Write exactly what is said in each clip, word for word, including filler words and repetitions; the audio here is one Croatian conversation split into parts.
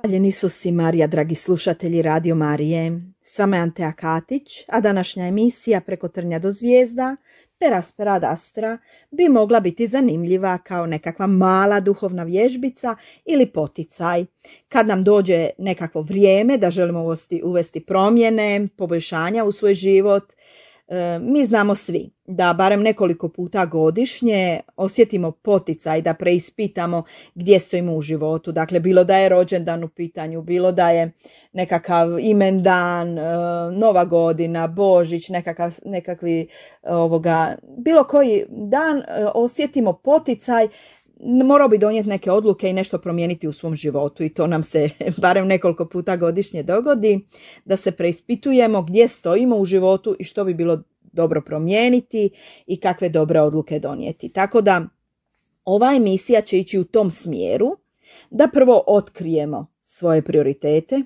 Hvaljeni Isus i Marija, dragi slušatelji Radio Marije. S vama je Antea Katić, a današnja emisija Preko trnja do zvijezda, per aspera ad astra, bi mogla biti zanimljiva kao nekakva mala duhovna vježbica ili poticaj. Kad nam dođe nekakvo vrijeme da želimo uvesti, uvesti promjene, poboljšanja u svoj život, mi znamo svi da barem nekoliko puta godišnje osjetimo poticaj da preispitamo gdje stojimo u životu. Dakle, bilo da je rođendan u pitanju, bilo da je nekakav imendan, Nova godina, Božić, nekakav, nekakvi ovoga, bilo koji dan osjetimo poticaj. Morao bi donijeti neke odluke i nešto promijeniti u svom životu i to nam se barem nekoliko puta godišnje dogodi, da se preispitujemo gdje stojimo u životu i što bi bilo dobro promijeniti i kakve dobre odluke donijeti. Tako da ova emisija će ići u tom smjeru da prvo otkrijemo svoje prioritete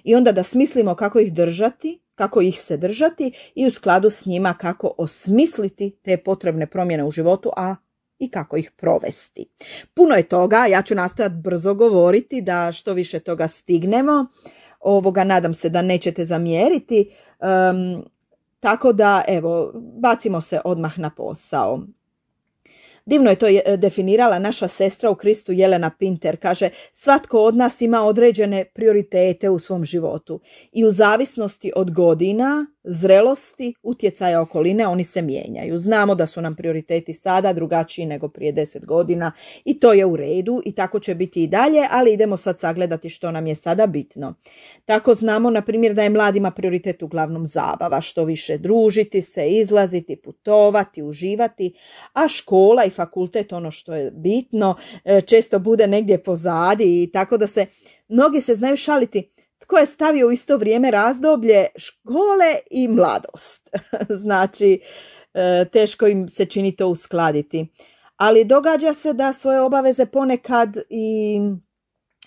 i onda da smislimo kako ih držati, kako ih se držati i u skladu s njima kako osmisliti te potrebne promjene u životu, a i kako ih provesti. Puno je toga, ja ću nastojati brzo govoriti da što više toga stignemo. Ovoga nadam se da nećete zamjeriti. Um, tako da, evo, bacimo se odmah na posao. Divno je to definirala naša sestra u Kristu Jelena Pinter. Kaže, svatko od nas ima određene prioritete u svom životu i u zavisnosti od godina, zrelosti, utjecaja okoline, oni se mijenjaju. Znamo da su nam prioriteti sada drugačiji nego prije deset godina i to je u redu i tako će biti i dalje, ali idemo sad sagledati što nam je sada bitno. Tako znamo, na primjer, da je mladima prioritet uglavnom zabava, što više družiti se, izlaziti, putovati, uživati, a škola i fakultet, ono što je bitno, često bude negdje pozadi i tako da se, mnogi se znaju šaliti tko je stavio u isto vrijeme razdoblje škole i mladost. Znači, teško im se čini to uskladiti. Ali događa se da svoje obaveze ponekad i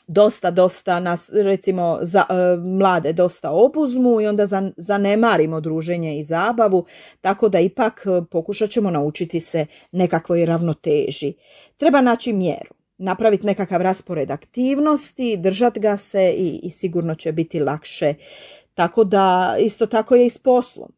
dosta, dosta nas, recimo, za, mlade dosta obuzmu i onda zanemarimo druženje i zabavu, tako da ipak pokušat ćemo naučiti se nekakvoj ravnoteži. Treba naći mjeru, napraviti nekakav raspored aktivnosti, držati ga se i, i sigurno će biti lakše. Tako da isto tako je i s poslom.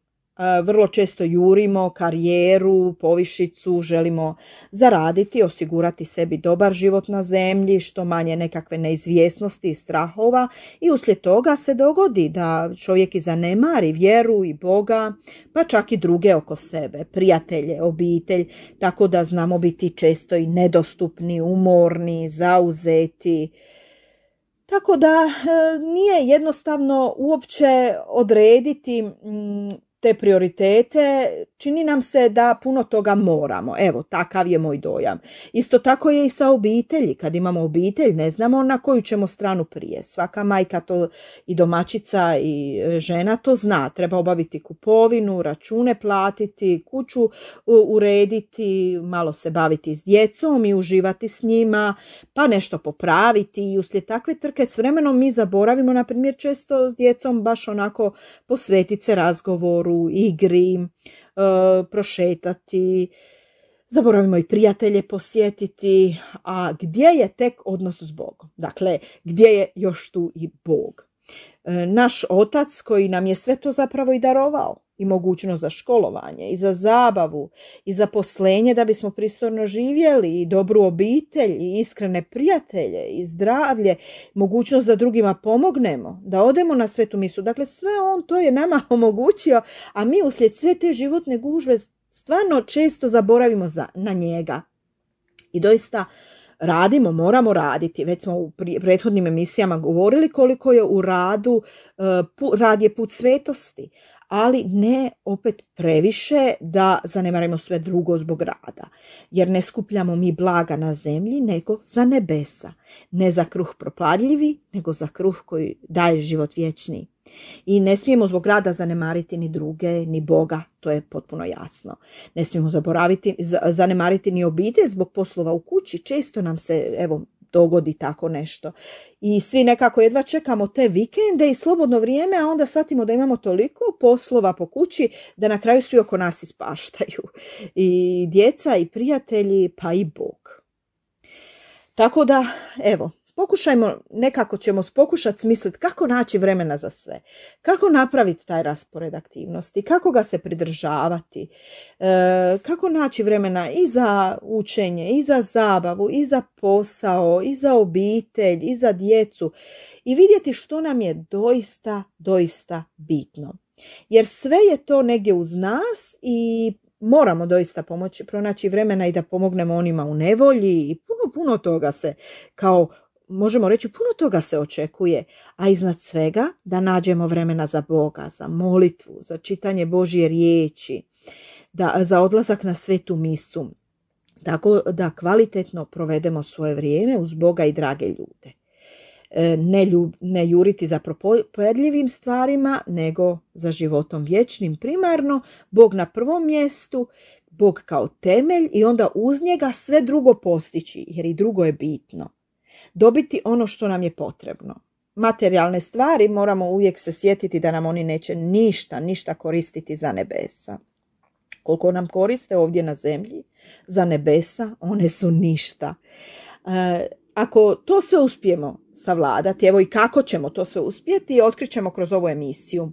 Vrlo često jurimo karijeru, povišicu, želimo zaraditi, osigurati sebi dobar život na zemlji, što manje nekakve neizvjesnosti i strahova i uslijed toga se dogodi da čovjek i zanemari vjeru i Boga, pa čak i druge oko sebe, prijatelje, obitelj, tako da znamo biti često i nedostupni, umorni, zauzeti. Tako da nije jednostavno uopće odrediti te prioritete, čini nam se da puno toga moramo. Evo, takav je moj dojam. Isto tako je i sa obitelji. Kad imamo obitelj, ne znamo na koju ćemo stranu prije. Svaka majka to i domaćica i žena to zna. Treba obaviti kupovinu, račune platiti, kuću urediti, malo se baviti s djecom i uživati s njima, pa nešto popraviti i uslijed takve trke s vremenom mi zaboravimo, na primjer, često s djecom baš onako posvetiti se razgovoru, igri, e, prošetati, zaboravimo i prijatelje posjetiti, a gdje je tek odnos s Bogom? Dakle, gdje je još tu i Bog? E, naš Otac koji nam je sve to zapravo i darovao, i mogućnost za školovanje, i za zabavu, i za poslenje da bismo pristojno živjeli, i dobru obitelj, i iskrene prijatelje, i zdravlje, mogućnost da drugima pomognemo, da odemo na svetu misu. Dakle, sve on to je nama omogućio, a mi uslijed sve te životne gužve stvarno često zaboravimo za, na njega. I doista radimo, moramo raditi. Već smo u prethodnim emisijama govorili koliko je u radu, rad je put svetosti, ali ne opet previše da zanemarimo sve drugo zbog rada. Jer ne skupljamo mi blaga na zemlji, nego za nebesa. Ne za kruh propadljivi, nego za kruh koji daje život vječni. I ne smijemo zbog rada zanemariti ni druge, ni Boga, to je potpuno jasno. Ne smijemo zaboraviti, zanemariti ni obitelj zbog poslova u kući. Često nam se, evo, dogodi tako nešto. I svi nekako jedva čekamo te vikende i slobodno vrijeme, a onda shvatimo da imamo toliko poslova po kući da na kraju svi oko nas ispaštaju. I djeca, i prijatelji, pa i Bog. Tako da, evo, pokušajmo, nekako ćemo pokušati smisliti kako naći vremena za sve, kako napraviti taj raspored aktivnosti, kako ga se pridržavati, e, kako naći vremena i za učenje, i za zabavu, i za posao, i za obitelj, i za djecu i vidjeti što nam je doista, doista bitno. Jer sve je to negdje uz nas i moramo doista pomoći, pronaći vremena i da pomognemo onima u nevolji i puno, puno toga se, kao možemo reći, puno toga se očekuje, a iznad svega da nađemo vremena za Boga, za molitvu, za čitanje Božje riječi, da, za odlazak na svetu misu, tako da kvalitetno provedemo svoje vrijeme uz Boga i drage ljude. Ne, ljub, ne juriti za propojedljivim stvarima, nego za životom vječnim primarno, Bog na prvom mjestu, Bog kao temelj i onda uz njega sve drugo postići, jer i drugo je bitno. Dobiti ono što nam je potrebno. Materijalne stvari moramo uvijek se sjetiti da nam oni neće ništa, ništa koristiti za nebesa. Koliko nam koriste ovdje na zemlji, za nebesa, one su ništa. E, Ako to sve uspijemo savladati, evo i kako ćemo to sve uspjeti, otkrićemo kroz ovu emisiju.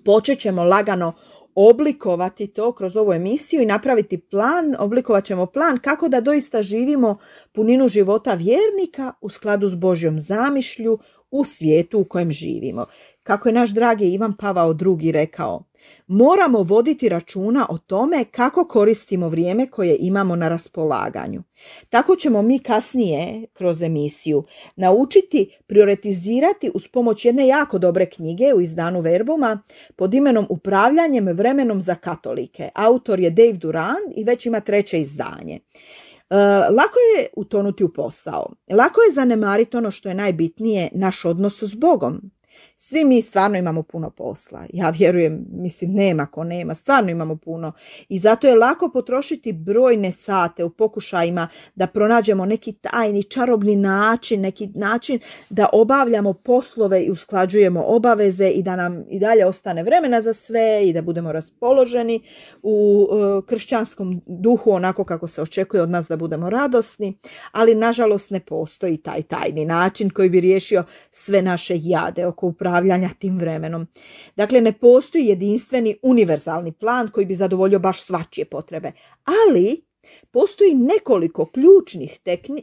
Počet ćemo lagano oblikovati to kroz ovu emisiju i napraviti plan, oblikovat ćemo plan kako da doista živimo puninu života vjernika u skladu s Božjom zamišlju u svijetu u kojem živimo. Kako je naš dragi Ivan Pavao drugi rekao, moramo voditi računa o tome kako koristimo vrijeme koje imamo na raspolaganju. Tako ćemo mi kasnije kroz emisiju naučiti prioritizirati uz pomoć jedne jako dobre knjige u izdanu Verbuma pod imenom Upravljanjem vremenom za katolike. Autor je Dave Durand i već ima treće izdanje. E, lako je utonuti u posao. Lako je zanemariti ono što je najbitnije, naš odnos s Bogom. Svi mi stvarno imamo puno posla. Ja vjerujem, mislim, nema ko nema, stvarno imamo puno. I zato je lako potrošiti brojne sate u pokušajima da pronađemo neki tajni, čarobni način, neki način da obavljamo poslove i usklađujemo obaveze i da nam i dalje ostane vremena za sve i da budemo raspoloženi u uh, kršćanskom duhu onako kako se očekuje od nas da budemo radosni. Ali nažalost ne postoji taj tajni način koji bi riješio sve naše jade oko upravljanja tim vremenom. Dakle, ne postoji jedinstveni univerzalni plan koji bi zadovoljio baš svačije potrebe, ali postoji nekoliko ključnih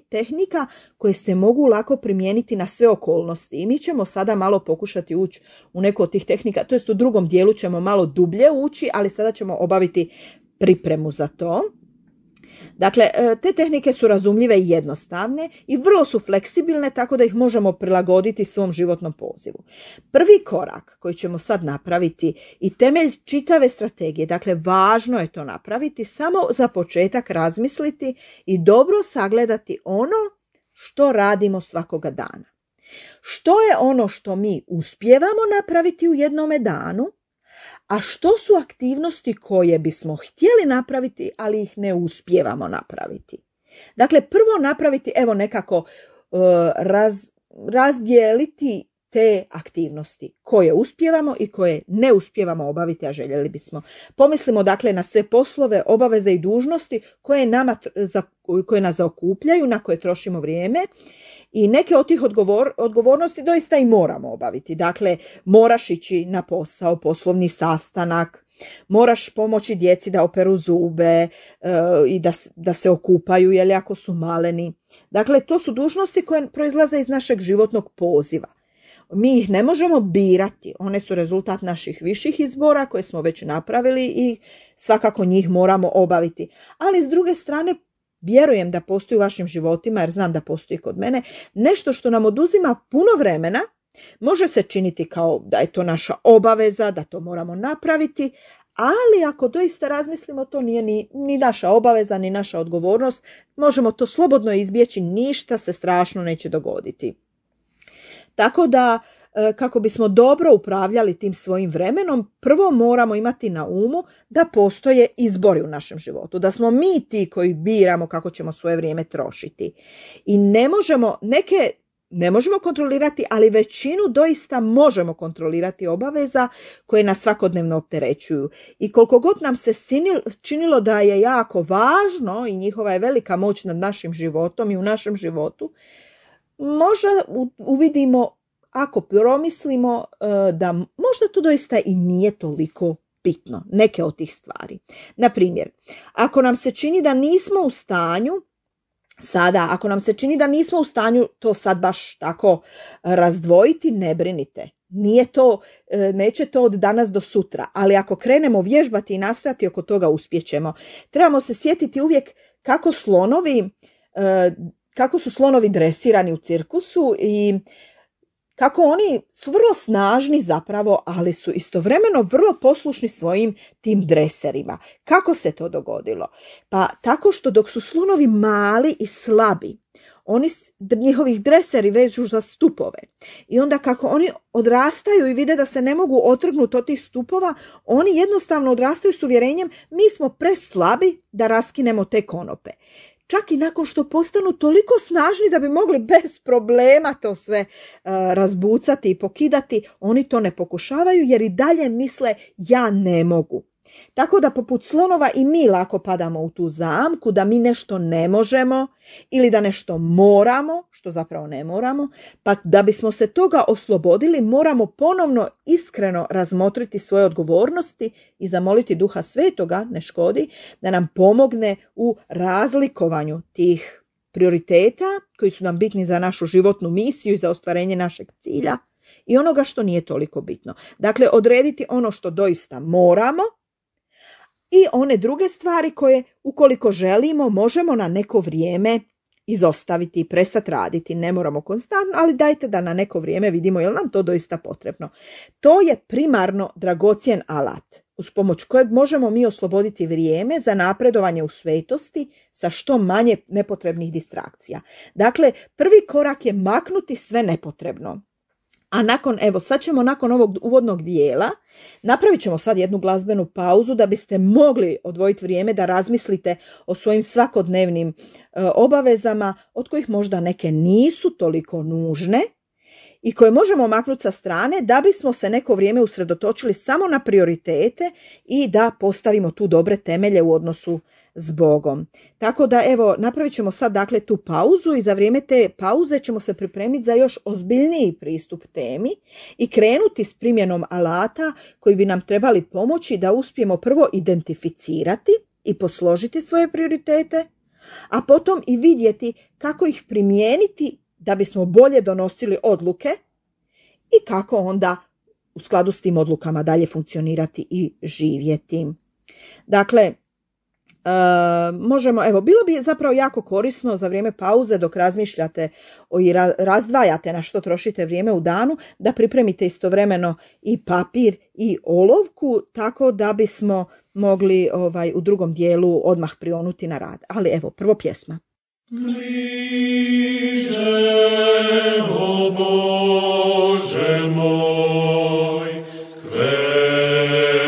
tehnika koje se mogu lako primijeniti na sve okolnosti i mi ćemo sada malo pokušati ući u neku od tih tehnika, to jest u drugom dijelu ćemo malo dublje ući, ali sada ćemo obaviti pripremu za to. Dakle, te tehnike su razumljive i jednostavne i vrlo su fleksibilne tako da ih možemo prilagoditi svom životnom pozivu. Prvi korak koji ćemo sad napraviti i temelj čitave strategije, dakle važno je to napraviti, samo za početak razmisliti i dobro sagledati ono što radimo svakoga dana. Što je ono što mi uspijevamo napraviti u jednome danu, a što su aktivnosti koje bismo htjeli napraviti, ali ih ne uspijevamo napraviti. Dakle, prvo napraviti, evo nekako uh, raz, razdijeliti te aktivnosti koje uspijevamo i koje ne uspijevamo obaviti, a željeli bismo. Pomislimo dakle na sve poslove, obaveze i dužnosti koje, nama, za, koje nas zaokupljaju, na koje trošimo vrijeme. I neke od tih odgovor, odgovornosti doista i moramo obaviti. Dakle, moraš ići na posao, poslovni sastanak, moraš pomoći djeci da operu zube e, i da, da se okupaju, jel, ako su maleni. Dakle, to su dužnosti koje proizlaze iz našeg životnog poziva. Mi ih ne možemo birati, one su rezultat naših viših izbora koje smo već napravili i svakako njih moramo obaviti. Ali s druge strane, vjerujem da postoji u vašim životima, jer znam da postoji kod mene, nešto što nam oduzima puno vremena, može se činiti kao da je to naša obaveza, da to moramo napraviti, ali ako doista razmislimo, to nije ni, ni naša obaveza, ni naša odgovornost, možemo to slobodno izbjeći, ništa se strašno neće dogoditi. Tako da, kako bismo dobro upravljali tim svojim vremenom, prvo moramo imati na umu da postoje izbori u našem životu, da smo mi ti koji biramo kako ćemo svoje vrijeme trošiti. I ne možemo, neke ne možemo kontrolirati, ali većinu doista možemo kontrolirati obaveza koje nas svakodnevno opterećuju. I koliko god nam se činilo da je jako važno i njihova je velika moć nad našim životom i u našem životu, možda uvidimo, ako promislimo, da možda to doista i nije toliko bitno, neke od tih stvari. Na primjer, ako nam se čini da nismo u stanju Sada, ako nam se čini da nismo u stanju to sad baš tako razdvojiti, ne brinite. Nije to, neće to od danas do sutra, ali ako krenemo vježbati i nastojati, oko toga uspjećemo. Trebamo se sjetiti uvijek kako slonovi, kako su slonovi dresirani u cirkusu i kako oni su vrlo snažni zapravo, ali su istovremeno vrlo poslušni svojim tim dreserima. Kako se to dogodilo? Pa tako što dok su slonovi mali i slabi, oni, njihovih dreseri vežu za stupove. I onda kako oni odrastaju i vide da se ne mogu otrgnuti od tih stupova, oni jednostavno odrastaju s uvjerenjem mi smo preslabi da raskinemo te konope. Čak i nakon što postanu toliko snažni da bi mogli bez problema to sve uh, razbucati i pokidati, oni to ne pokušavaju jer i dalje misle ja ne mogu. Tako da poput slonova i mi lako padamo u tu zamku da mi nešto ne možemo ili da nešto moramo, što zapravo ne moramo, pa da bismo se toga oslobodili moramo ponovno iskreno razmotriti svoje odgovornosti i zamoliti Duha Svetoga, ne škodi, da nam pomogne u razlikovanju tih prioriteta koji su nam bitni za našu životnu misiju i za ostvarenje našeg cilja i onoga što nije toliko bitno. Dakle, odrediti ono što doista moramo i one druge stvari koje, ukoliko želimo, možemo na neko vrijeme izostaviti i prestati raditi. Ne moramo konstantno, ali dajte da na neko vrijeme vidimo je li nam to doista potrebno. To je primarno dragocjen alat uz pomoć kojeg možemo mi osloboditi vrijeme za napredovanje u svetosti sa što manje nepotrebnih distrakcija. Dakle, prvi korak je maknuti sve nepotrebno. A nakon, evo, sad ćemo nakon ovog uvodnog dijela, napravit ćemo sad jednu glazbenu pauzu da biste mogli odvojiti vrijeme da razmislite o svojim svakodnevnim e, obavezama, od kojih možda neke nisu toliko nužne i koje možemo maknuti sa strane da bismo se neko vrijeme usredotočili samo na prioritete i da postavimo tu dobre temelje u odnosu s Bogom. Tako da evo, napravit ćemo sad dakle tu pauzu i za vrijeme te pauze ćemo se pripremiti za još ozbiljniji pristup temi i krenuti s primjenom alata koji bi nam trebali pomoći da uspijemo prvo identificirati i posložiti svoje prioritete, a potom i vidjeti kako ih primijeniti da bismo bolje donosili odluke i kako onda u skladu s tim odlukama dalje funkcionirati i živjeti. Dakle, Uh, možemo, evo, bilo bi zapravo jako korisno za vrijeme pauze dok razmišljate o i ra- razdvajate na što trošite vrijeme u danu, da pripremite istovremeno i papir i olovku, tako da bismo mogli ovaj, u drugom dijelu odmah prionuti na rad. Ali evo, prvo pjesma. Bliže, o Bože moj, k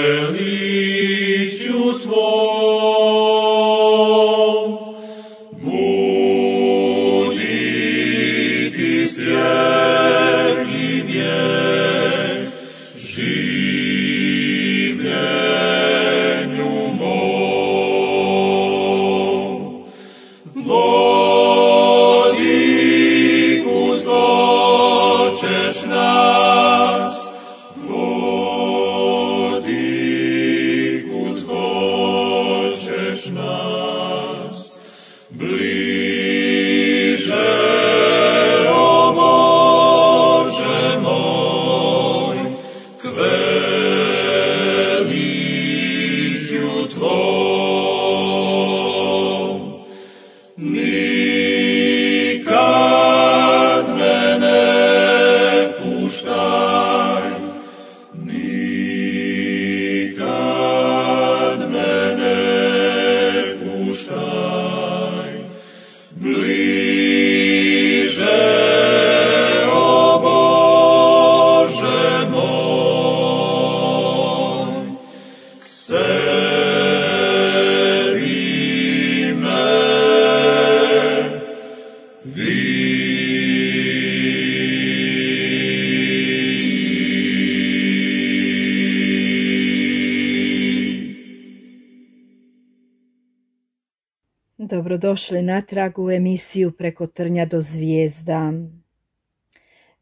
veličju Tvoj. Dobrodošli natrag u emisiju Preko trnja do zvijezda.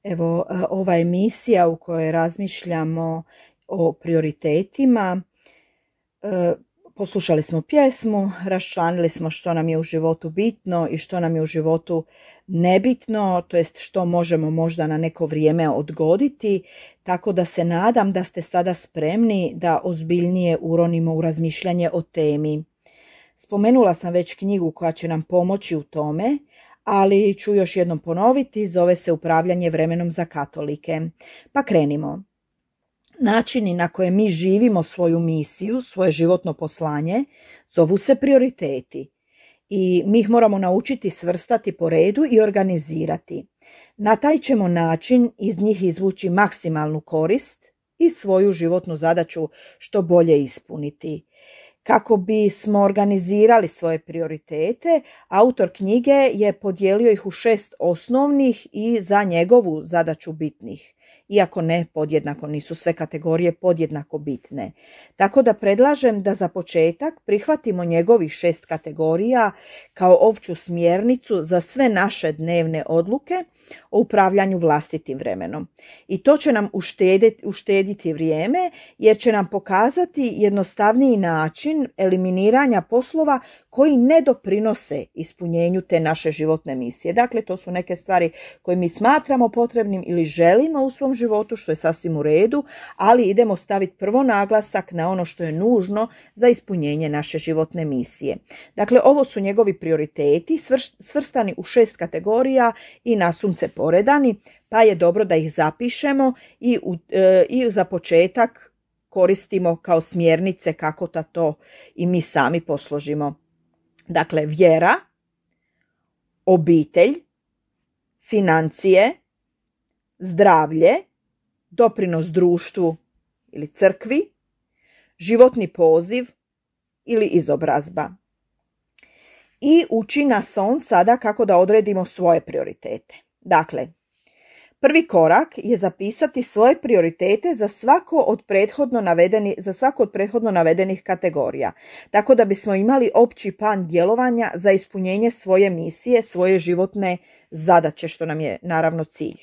Evo, ova emisija u kojoj razmišljamo o prioritetima, poslušali smo pjesmu, raščlanili smo što nam je u životu bitno i što nam je u životu nebitno, to jest što možemo možda na neko vrijeme odgoditi, tako da se nadam da ste sada spremni da ozbiljnije uronimo u razmišljanje o temi. Spomenula sam već knjigu koja će nam pomoći u tome, ali ću još jednom ponoviti, zove se Upravljanje vremenom za katolike. Pa krenimo. Načini na koje mi živimo svoju misiju, svoje životno poslanje, zovu se prioriteti. I mi ih moramo naučiti svrstati po redu i organizirati. Na taj ćemo način iz njih izvući maksimalnu korist i svoju životnu zadaću što bolje ispuniti. Kako bismo organizirali svoje prioritete, autor knjige je podijelio ih u šest osnovnih i za njegovu zadaću bitnih. Iako ne podjednako, nisu sve kategorije podjednako bitne. Tako da predlažem da za početak prihvatimo njegovih šest kategorija kao opću smjernicu za sve naše dnevne odluke o upravljanju vlastitim vremenom. I to će nam uštediti, uštediti vrijeme jer će nam pokazati jednostavniji način eliminiranja poslova koji ne doprinose ispunjenju te naše životne misije. Dakle, to su neke stvari koje mi smatramo potrebnim ili želimo u svom životu, što je sasvim u redu, ali idemo staviti prvo naglasak na ono što je nužno za ispunjenje naše životne misije. Dakle, ovo su njegovi prioriteti svrstani u šest kategorija i nasumce poredani, pa je dobro da ih zapišemo i, u, e, i za početak koristimo kao smjernice kako da to i mi sami posložimo. Dakle, vjera, obitelj, financije, zdravlje, doprinos društvu ili crkvi, životni poziv ili izobrazba. I uči nas on sada kako da odredimo svoje prioritete. Dakle, prvi korak je zapisati svoje prioritete za svako od prethodno navedeni, za svako od prethodno navedenih kategorija, tako da bismo imali opći plan djelovanja za ispunjenje svoje misije, svoje životne zadaće, što nam je naravno cilj.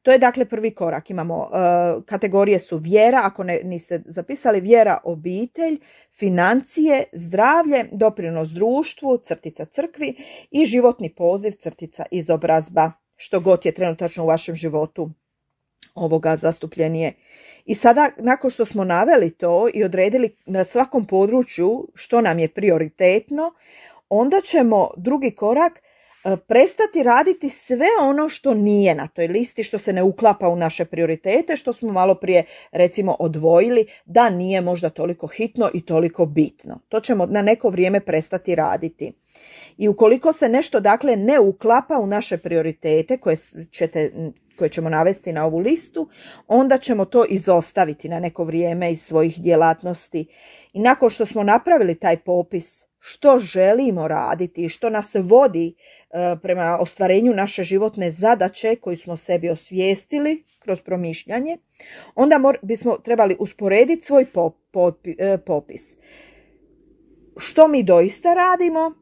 To je dakle prvi korak. Imamo uh, kategorije su vjera, ako ne, niste zapisali, vjera, obitelj, financije, zdravlje, doprinos društvu, crtica crkvi i životni poziv, crtica izobrazba, što god je trenutačno u vašem životu ovoga zastupljenije. I sada, nakon što smo naveli to i odredili na svakom području što nam je prioritetno, onda ćemo drugi korak prestati raditi sve ono što nije na toj listi, što se ne uklapa u naše prioritete, što smo malo prije recimo odvojili da nije možda toliko hitno i toliko bitno. To ćemo na neko vrijeme prestati raditi. I ukoliko se nešto dakle ne uklapa u naše prioritete koje, ćete, koje ćemo navesti na ovu listu, onda ćemo to izostaviti na neko vrijeme iz svojih djelatnosti. I nakon što smo napravili taj popis što želimo raditi i što nas vodi e, prema ostvarenju naše životne zadaće koju smo sebi osvijestili kroz promišljanje, onda mor, bismo trebali usporediti svoj pop, pop, e, popis. Što mi doista radimo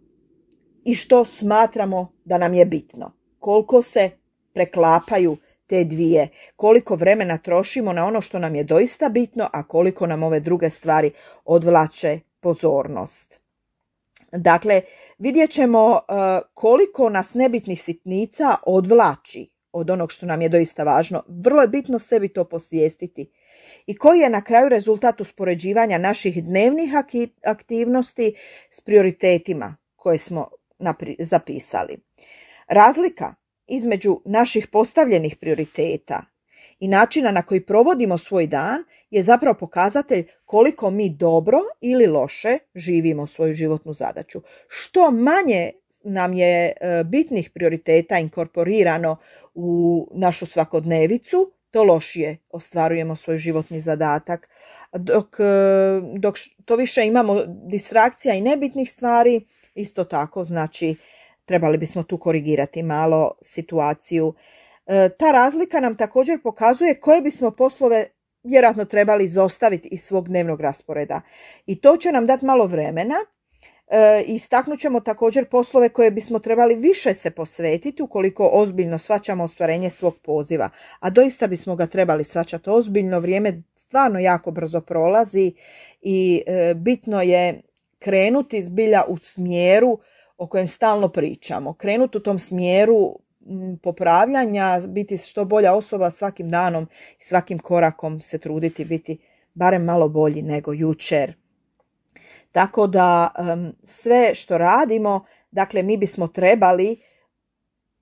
i što smatramo da nam je bitno. Koliko se preklapaju te dvije, koliko vremena trošimo na ono što nam je doista bitno, a koliko nam ove druge stvari odvlače pozornost. Dakle, vidjet ćemo uh, koliko nas nebitnih sitnica odvlači od onog što nam je doista važno. Vrlo je bitno sebi to posvijestiti. I koji je na kraju rezultat uspoređivanja naših dnevnih aktivnosti s prioritetima koje smo napri- zapisali. Razlika između naših postavljenih prioriteta i načina na koji provodimo svoj dan je zapravo pokazatelj koliko mi dobro ili loše živimo svoju životnu zadaću. Što manje nam je bitnih prioriteta inkorporirano u našu svakodnevicu, to lošije ostvarujemo svoj životni zadatak. Dok, dok to više imamo distrakcija i nebitnih stvari, isto tako znači trebali bismo tu korigirati malo situaciju. Ta razlika nam također pokazuje koje bismo poslove vjerojatno trebali izostaviti iz svog dnevnog rasporeda. I to će nam dati malo vremena E, istaknut ćemo također poslove koje bismo trebali više se posvetiti ukoliko ozbiljno shvaćamo ostvarenje svog poziva. A doista bismo ga trebali shvaćati ozbiljno, vrijeme stvarno jako brzo prolazi i e, bitno je krenuti zbilja u smjeru o kojem stalno pričamo. Krenuti u tom smjeru m, popravljanja, biti što bolja osoba svakim danom i svakim korakom se truditi biti barem malo bolji nego jučer. Tako da um, sve što radimo, dakle mi bismo trebali,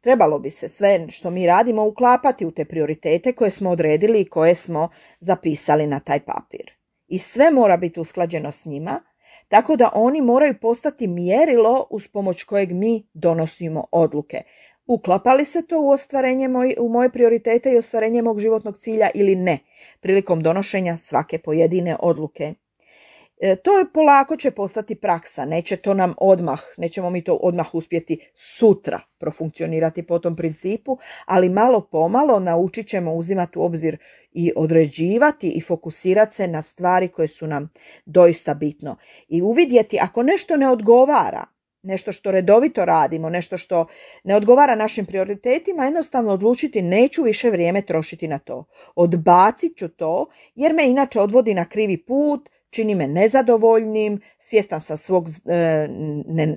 trebalo bi se sve što mi radimo uklapati u te prioritete koje smo odredili i koje smo zapisali na taj papir. I sve mora biti usklađeno s njima, tako da oni moraju postati mjerilo uz pomoć kojeg mi donosimo odluke. Uklapa li se to u ostvarenje moj, u moje prioritete i ostvarenje mog životnog cilja ili ne, prilikom donošenja svake pojedine odluke. E, to je polako će postati praksa, neće to nam odmah, nećemo mi to odmah uspjeti sutra profunkcionirati po tom principu, ali malo pomalo naučit ćemo uzimati u obzir i određivati i fokusirati se na stvari koje su nam doista bitno. I uvidjeti ako nešto ne odgovara, nešto što redovito radimo, nešto što ne odgovara našim prioritetima, jednostavno odlučiti neću više vrijeme trošiti na to. Odbacit ću to jer me inače odvodi na krivi put, čini me nezadovoljnim, svjestan sam svog e,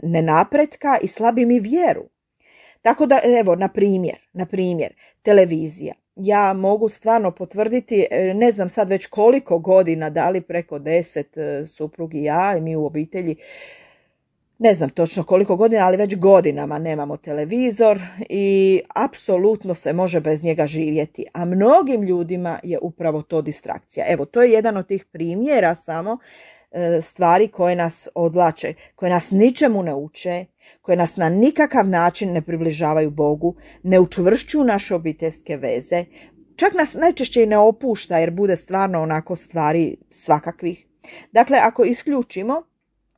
nenapretka i slabi mi vjeru. Tako da, evo, na primjer, na primjer, televizija. Ja mogu stvarno potvrditi, ne znam sad već koliko godina, da li preko deset, suprug i ja i mi u obitelji, ne znam točno koliko godina, ali već godinama nemamo televizor i apsolutno se može bez njega živjeti. A mnogim ljudima je upravo to distrakcija. Evo, to je jedan od tih primjera samo e, stvari koje nas odvlače, koje nas ničemu ne uče, koje nas na nikakav način ne približavaju Bogu, ne učvršćuju naše obiteljske veze, čak nas najčešće i ne opušta jer bude stvarno onako stvari svakakvih. Dakle, ako isključimo,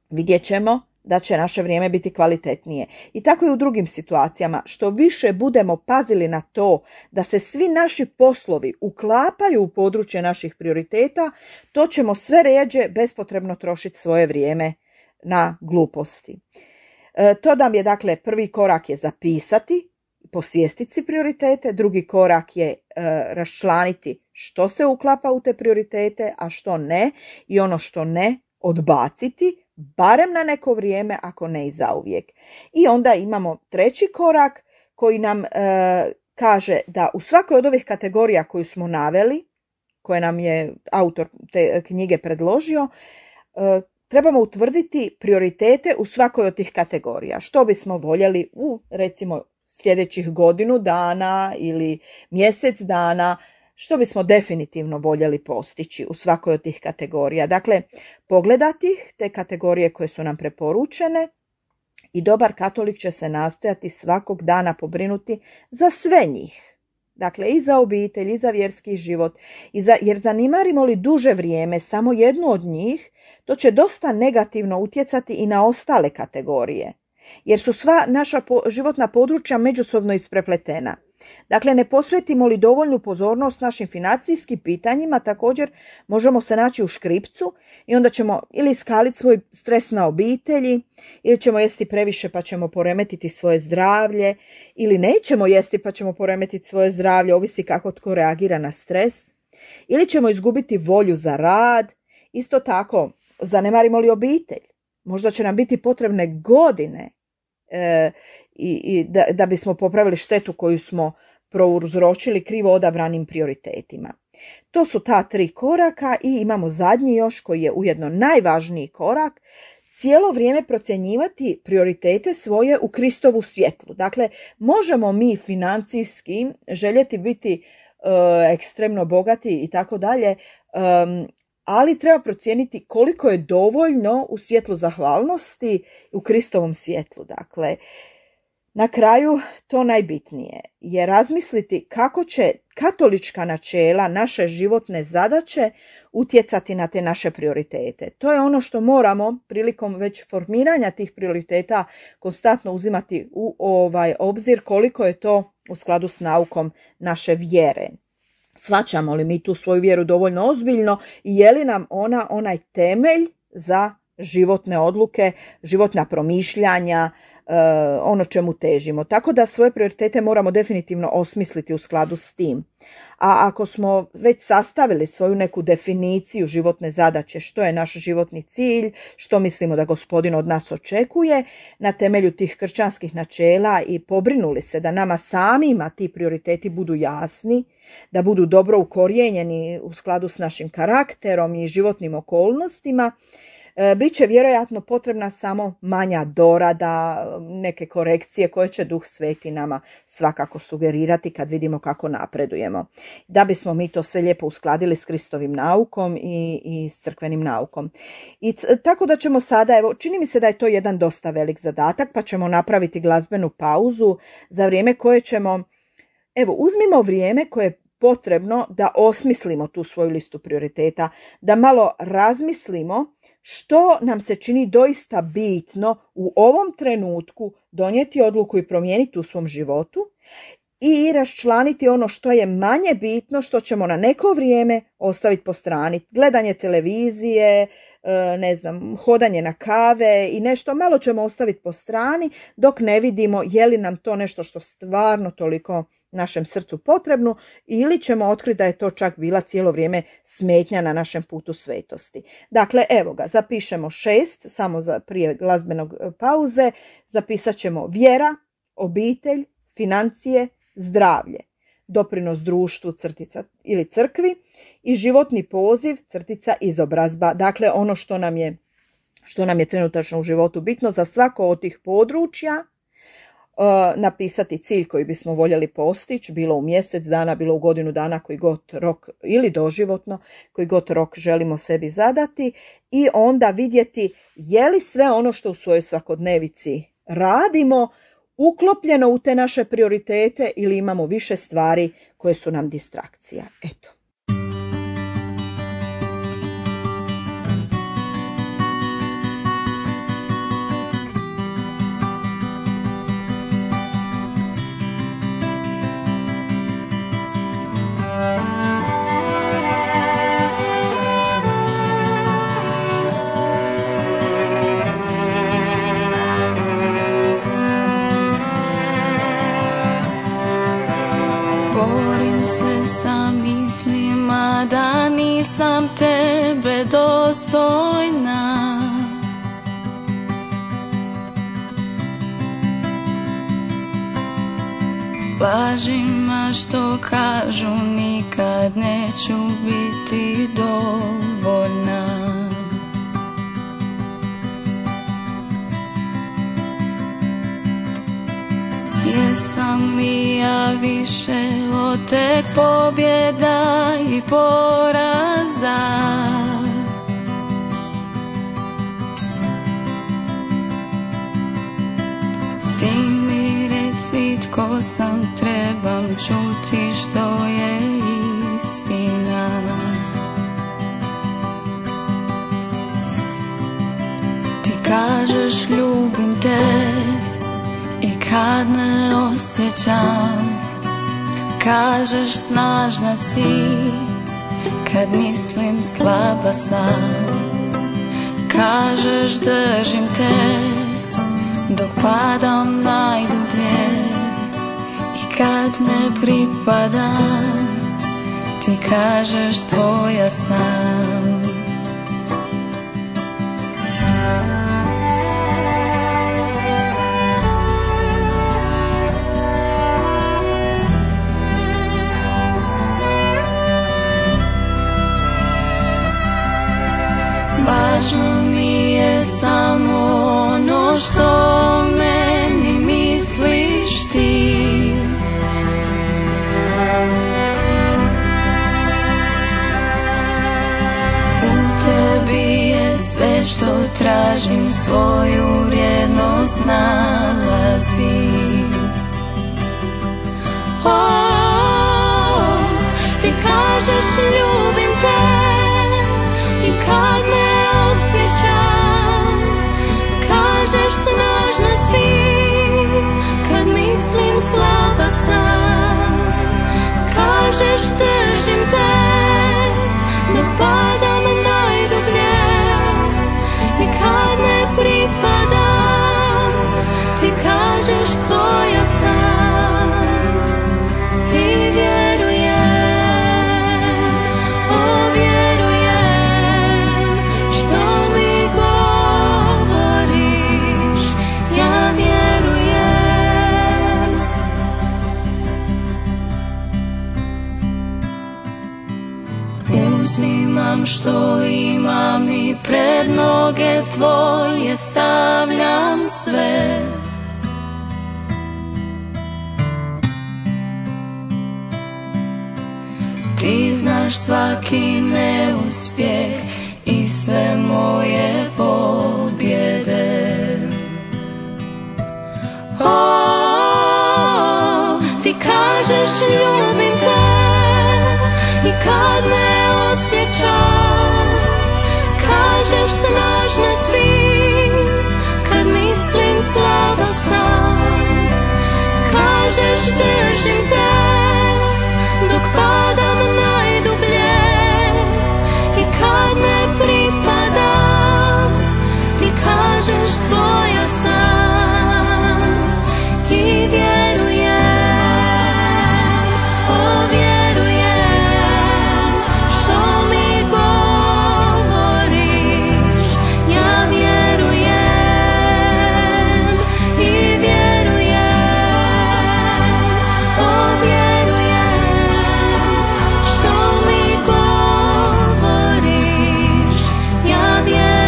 vidjet ćemo da će naše vrijeme biti kvalitetnije. I tako i u drugim situacijama. Što više budemo pazili na to da se svi naši poslovi uklapaju u područje naših prioriteta, to ćemo sve rjeđe bespotrebno trošiti svoje vrijeme na gluposti. E, to nam je, dakle, prvi korak je zapisati, posvijestiti si prioritete, drugi korak je e, raščlaniti što se uklapa u te prioritete, a što ne, i ono što ne odbaciti, barem na neko vrijeme, ako ne i zauvijek. I onda imamo treći korak koji nam e, kaže da u svakoj od ovih kategorija koju smo naveli, koje nam je autor te knjige predložio, e, trebamo utvrditi prioritete u svakoj od tih kategorija. Što bismo voljeli u, recimo, sljedećih godinu dana ili mjesec dana, što bismo definitivno voljeli postići u svakoj od tih kategorija. Dakle, pogledati te kategorije koje su nam preporučene i dobar katolik će se nastojati svakog dana pobrinuti za sve njih. Dakle, i za obitelj, i za vjerski život, i za, jer zanimarimo li duže vrijeme samo jednu od njih, to će dosta negativno utjecati i na ostale kategorije, jer su sva naša po, životna područja međusobno isprepletena. Dakle, ne posvetimo li dovoljnu pozornost našim financijskim pitanjima, također možemo se naći u škripcu i onda ćemo ili skaliti svoj stres na obitelji, ili ćemo jesti previše pa ćemo poremetiti svoje zdravlje, ili nećemo jesti pa ćemo poremetiti svoje zdravlje, ovisi kako tko reagira na stres, ili ćemo izgubiti volju za rad. Isto tako, zanemarimo li obitelj, možda će nam biti potrebne godine e, i, i da, da bismo popravili štetu koju smo prouzročili krivo odabranim prioritetima. To su ta tri koraka i imamo zadnji još koji je ujedno najvažniji korak, cijelo vrijeme procjenjivati prioritete svoje u Kristovu svjetlu. Dakle, možemo mi financijski željeti biti e, ekstremno bogati i tako dalje, ali treba procijeniti koliko je dovoljno u svjetlu zahvalnosti u Kristovom svjetlu. Dakle, na kraju to najbitnije je razmisliti kako će katolička načela, naše životne zadaće utjecati na te naše prioritete. To je ono što moramo prilikom već formiranja tih prioriteta konstantno uzimati u ovaj obzir, koliko je to u skladu s naukom naše vjere. Shvaćamo li mi tu svoju vjeru dovoljno ozbiljno i je li nam ona onaj temelj za životne odluke, životna promišljanja, ono čemu težimo. Tako da svoje prioritete moramo definitivno osmisliti u skladu s tim. A ako smo već sastavili svoju neku definiciju životne zadaće, što je naš životni cilj, što mislimo da Gospodin od nas očekuje, na temelju tih kršćanskih načela i pobrinuli se da nama samima ti prioriteti budu jasni, da budu dobro ukorijenjeni u skladu s našim karakterom i životnim okolnostima, Biće vjerojatno potrebna samo manja dorada, neke korekcije koje će Duh Sveti nama svakako sugerirati kad vidimo kako napredujemo. Da bismo mi to sve lijepo uskladili s Kristovim naukom i, i s crkvenim naukom. I c- tako da ćemo sada, evo, čini mi se da je to jedan dosta velik zadatak, pa ćemo napraviti glazbenu pauzu za vrijeme koje ćemo, evo, uzmimo vrijeme koje je potrebno da osmislimo tu svoju listu prioriteta, da malo razmislimo što nam se čini doista bitno u ovom trenutku donijeti odluku i promijeniti u svom životu i raščlaniti ono što je manje bitno, što ćemo na neko vrijeme ostaviti po strani. Gledanje televizije, ne znam, hodanje na kave i nešto malo ćemo ostaviti po strani dok ne vidimo je li nam to nešto što stvarno toliko našem srcu potrebno ili ćemo otkriti da je to čak bila cijelo vrijeme smetnja na našem putu svetosti. Dakle, evo ga, zapišemo šest, samo za prije glazbenog pauze, zapisat ćemo vjera, obitelj, financije, zdravlje, doprinos društvu, crtica ili crkvi i životni poziv, crtica izobrazba. Dakle, ono što nam je, što nam je trenutačno u životu bitno za svako od tih područja, napisati cilj koji bismo voljeli postići, bilo u mjesec dana, bilo u godinu dana, koji god rok, ili doživotno, koji god rok želimo sebi zadati i onda vidjeti je li sve ono što u svojoj svakodnevici radimo uklopljeno u te naše prioritete ili imamo više stvari koje su nam distrakcija. Eto. Sam tebe dostojna, lažima što kažu nikad neću biti dovoljna. Jesam li ja više od tek pobjeda i poraza? Ti mi reci tko sam, trebam čuti što je istina. Ti kažeš ljubim te i kad ne osjećam, kažeš snažna si kad mislim slaba sam. Kažeš držim te dok padam najdublje i kad ne pripadam, ti kažeš tvoja sam. Važno mi je samo ono što o meni misliš ti. U tebi je sve što tražim, svoju vrijednost nalazim. Oh, ti kažeš ljubim te i kad ne osjećam, kažeš snažna si kad mislim slaba sam. Kažeš držim te dok padam najdublje i kažeš uzimam što imam i pred noge tvoje stavljam sve. Ti znaš svaki neuspjeh i sve moje pobjede. O, ti kažeš ljubim te i kad ne osjećam, kažeš snažna si kad mislim slaba sam, kažeš držim te dok padam najdublje i kad ne pripadam, ti kažeš tvoja sam i vjerujem, o vjerujem što mi govoriš, ja vjerujem i vjerujem, o vjerujem što mi govoriš, ja vjerujem.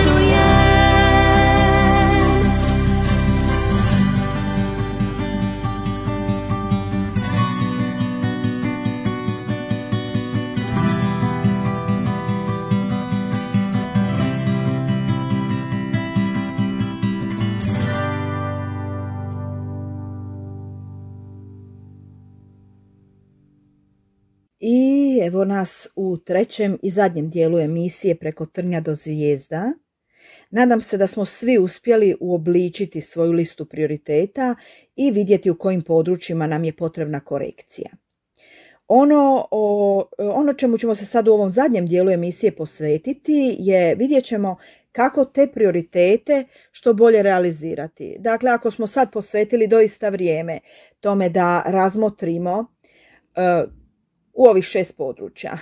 I evo nas u trećem i zadnjem dijelu emisije Preko trnja do zvijezda. Nadam se da smo svi uspjeli uobličiti svoju listu prioriteta i vidjeti u kojim područjima nam je potrebna korekcija. Ono, o, ono čemu ćemo se sad u ovom zadnjem dijelu emisije posvetiti je vidjet ćemo kako te prioritete što bolje realizirati. Dakle, ako smo sad posvetili doista vrijeme tome da razmotrimo uh, u ovih šest područja,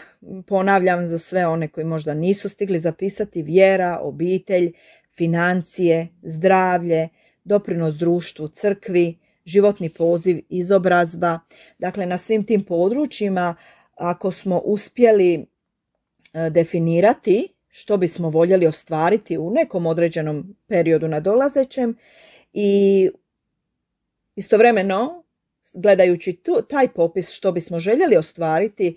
ponavljam za sve one koji možda nisu stigli zapisati: vjera, obitelj, financije, zdravlje, doprinos društvu, crkvi, životni poziv, izobrazba. Dakle, na svim tim područjima, ako smo uspjeli definirati što bismo voljeli ostvariti u nekom određenom periodu nadolazećem i istovremeno, gledajući tu, taj popis što bismo željeli ostvariti,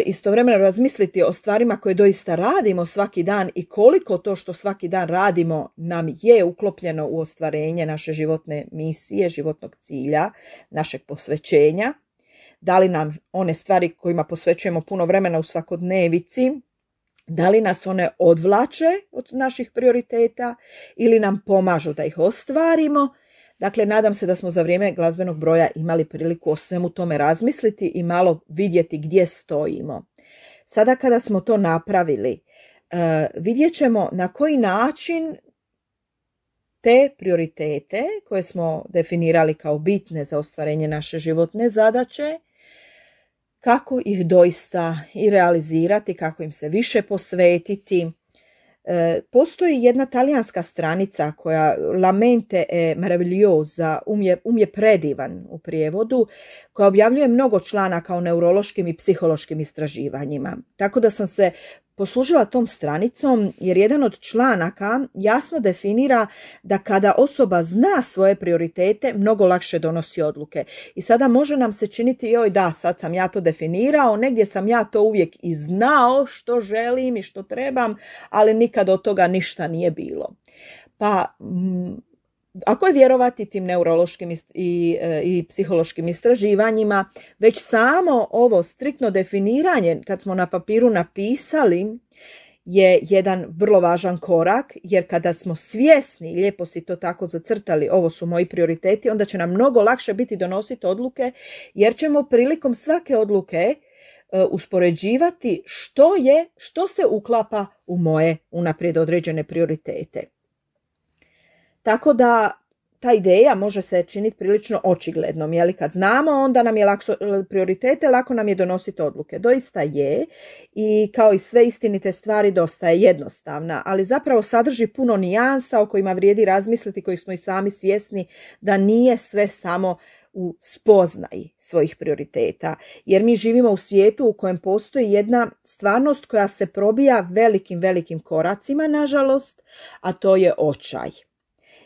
istovremeno razmisliti o stvarima koje doista radimo svaki dan i koliko to što svaki dan radimo nam je uklopljeno u ostvarenje naše životne misije, životnog cilja, našeg posvećenja. Da li nam one stvari kojima posvećujemo puno vremena u svakodnevici, da li nas one odvlače od naših prioriteta ili nam pomažu da ih ostvarimo. Dakle, nadam se da smo za vrijeme glazbenog broja imali priliku o svemu tome razmisliti i malo vidjeti gdje stojimo. Sada kada smo to napravili, uh, vidjet ćemo na koji način te prioritete koje smo definirali kao bitne za ostvarenje naše životne zadaće, kako ih doista i realizirati, kako im se više posvetiti. E, postoji jedna talijanska stranica koja La mente è meravigliosa, um je, um je predivan u prijevodu, koja objavljuje mnogo članaka o neurološkim i psihološkim istraživanjima. Tako da sam se poslužila tom stranicom jer jedan od članaka jasno definira da kada osoba zna svoje prioritete, mnogo lakše donosi odluke. I sada može nam se činiti, joj da, sad sam ja to definirao, negdje sam ja to uvijek i znao što želim i što trebam, ali nikad od toga ništa nije bilo. Pa m, ako je vjerovati tim neurološkim i, i, i psihološkim istraživanjima, već samo ovo striktno definiranje, kad smo na papiru napisali, je jedan vrlo važan korak, jer kada smo svjesni, lijepo si to tako zacrtali, ovo su moji prioriteti, onda će nam mnogo lakše biti donositi odluke, jer ćemo prilikom svake odluke uh, uspoređivati što je, što se uklapa u moje unaprijed određene prioritete. Tako da ta ideja može se činiti prilično očiglednom, jeli kad znamo onda nam je lakso, prioritete, lako nam je donositi odluke. Doista je i kao i sve istinite stvari dosta je jednostavna, ali zapravo sadrži puno nijansa o kojima vrijedi razmisliti, kojih smo i sami svjesni da nije sve samo u spoznaji svojih prioriteta, jer mi živimo u svijetu u kojem postoji jedna stvarnost koja se probija velikim, velikim koracima, nažalost, a to je očaj.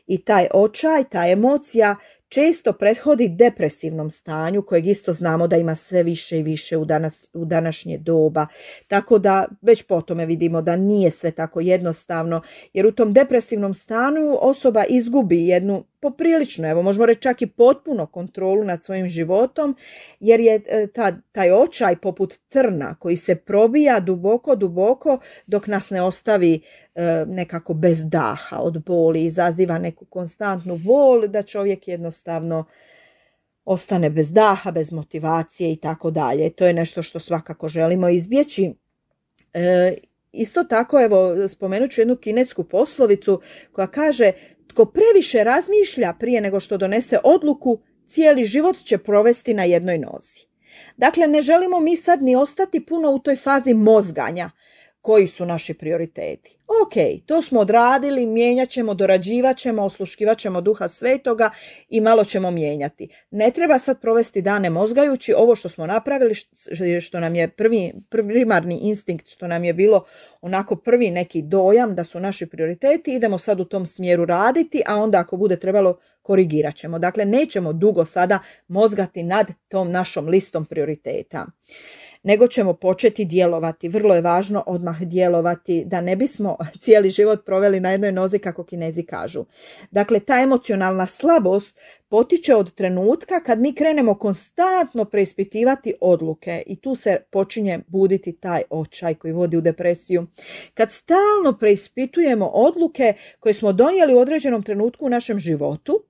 I taj očaj, ta emocija često prethodi depresivnom stanju kojeg isto znamo da ima sve više i više u, danas, u današnje doba. Tako da već po tome vidimo da nije sve tako jednostavno, jer u tom depresivnom stanju osoba izgubi jednu poprilično, evo možemo reći čak i potpuno kontrolu nad svojim životom, jer je ta, taj očaj poput trna koji se probija duboko, duboko dok nas ne ostavi e, nekako bez daha od boli, izaziva neku konstantnu bol da čovjek jednostavno ostane bez daha, bez motivacije i tako dalje. To je nešto što svakako želimo izbjeći. E, isto tako, evo, spomenut ću jednu kinesku poslovicu koja kaže: tko previše razmišlja prije nego što donese odluku, cijeli život će provesti na jednoj nozi. Dakle, ne želimo mi sad ni ostati puno u toj fazi mozganja. Koji su naši prioriteti? Ok, to smo odradili, mijenjat ćemo, dorađivat ćemo, osluškivat ćemo Duha Svetoga i malo ćemo mijenjati. Ne treba sad provesti dane mozgajući ovo što smo napravili, što nam je prvi, primarni instinkt, što nam je bilo onako prvi neki dojam da su naši prioriteti, idemo sad u tom smjeru raditi, a onda ako bude trebalo korigirat ćemo. Dakle, nećemo dugo sada mozgati nad tom našom listom prioriteta, nego ćemo početi djelovati. Vrlo je važno odmah djelovati da ne bismo cijeli život proveli na jednoj nozi, kako Kinezi kažu. Dakle, ta emocionalna slabost potiče od trenutka kad mi krenemo konstantno preispitivati odluke i tu se počinje buditi taj očaj koji vodi u depresiju. Kad stalno preispitujemo odluke koje smo donijeli u određenom trenutku u našem životu,